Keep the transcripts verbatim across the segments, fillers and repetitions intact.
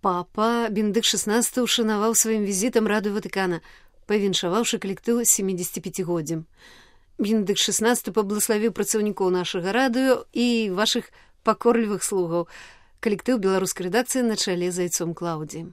Папа Бенедыкт шестнадцаты ушанаваў сваім візітам радыё Ватыкана, павіншаваўшы калектыў сямідзесяціпяцігоддзям. Бенедыкт шестнадцаты паблагаславіў працаўнікоў нашага радыё і вашых пакорлівых слугаў. Коллектив белорусской редакции на чоле Зайцом Клауди.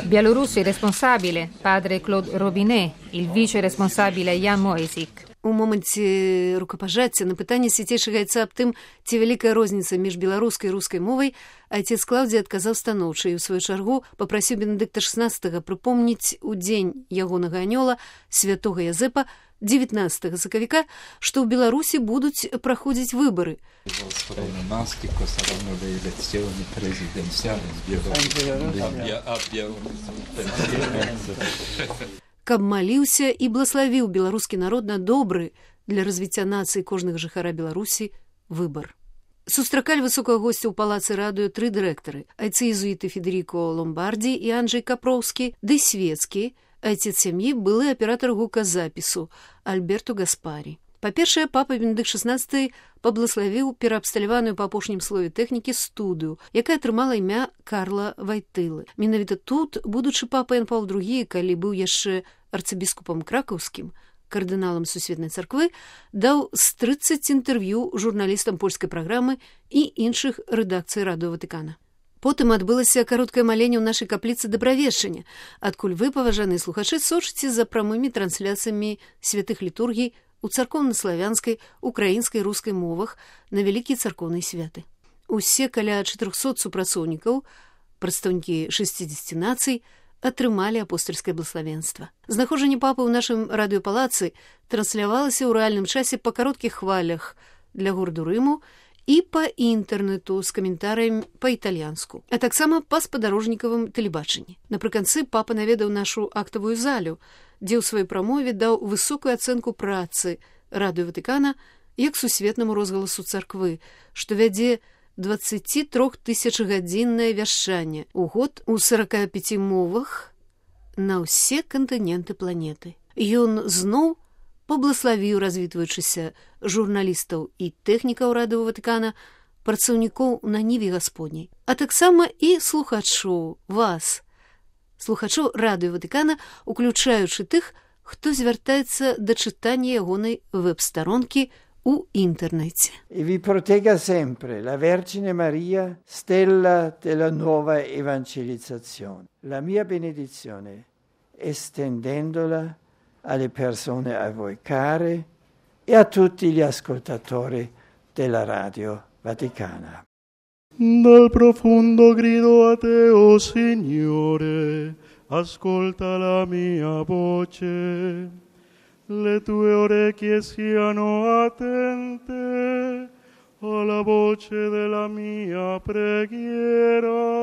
Bielorussi responsabile, padre Claude Robinet, il vice responsabile Ян Мойсік. У моменце рукапажацця на пытанне свяцейшага айца аб тым, ці вялікая розніца між беларускай і рускай мовай, айцец Клаўдзій адказаў станоўча і ў сваю чаргу папрасіў Бенедыкта шестнадцатага прыпомніць у дзень ягонага анёла святога Язэпа дзевятнаццатага сакавіка, што ў Беларусі будуць праходзіць выбары. Каб маліўся і блаславіў беларускі народ на добры для развіцця нацыі кожнага жыхара Беларусі выбар. Сустракалі высокага госця ў палацы радыё тры дырэктары: айцы-езуіты Федеріко Ломбарді і Анджэй Капроўскі, ды свецкі, айцец сям'і, былы аператар гуказапісу Альберту Гаспарі. Па-першае, папа Бенедыкт шестнадцаты паблагаславіў пераабсталяваную па апошнім слове тэхнікі студыю, якая атрымала імя Карла Вайтылы. Менавіта тут будучы папа Ян Паўл другі, калі быў яшчэ арцыбіскупам кракаўскім, кардыналам сусветнай царквы, даў з трыццаць інтэрв'ю журналістам польскай праграмы і іншых рэдакцый радыё Ватыкана. Потым адбылася кароткае маленне ў нашай капліцы дабравешчання, адкуль вы, паважаныя слухачы, сочыце за прамымі трансляцыямі святых літургій у царкоўна-славянскай, украінскай, рускай мовах на вялікія царкоўныя святы. Усе каля чатырохсот супрацоўнікаў, прадстаўнікі шэсцідзесяці нацый, атрымалі апостальскае блаславенства. Знаходжанне папы ў нашым радыёпалацы транслявалася ў рэальным часе па кароткіх хвалях для гораду Рыму і па інтэрнэту з каментарыямі па-італьянску, а таксама па спадарожнікавым тэлебачанні. Напрыканцы папа наведаў нашу актавую залю, дзе ў сваёй прамове даў высокую ацэнку працы радыё Ватыкана як сусветнаму розгаласу царквы, што вядзе дваццацітрохтысячгадзіннае вяшчанне у год у сарака пяці мовах на ўсе кантыненты планеты. Ён зноў паблагаславіў развітваючыся журналістаў і тэхнікаў радыё Ватыкана, працаўнікоў на ніве гасподняй, а таксама і слухачоў, вас, слухачоў радыё Ватыкана, уключаючы тых, хто звяртаецца да чытання ягонай веб-старонкі у інтэрнэце. E vi protegga sempre la Vergine Maria, stella della nuova evangelizzazione. La mia benedizione, estendendola alle persone a voi care e a tutti gli ascoltatori della Radio Vaticana. Dal profondo grido a te, oh Signore, ascolta la mia voce, le tue orecchie siano attente alla voce della mia preghiera.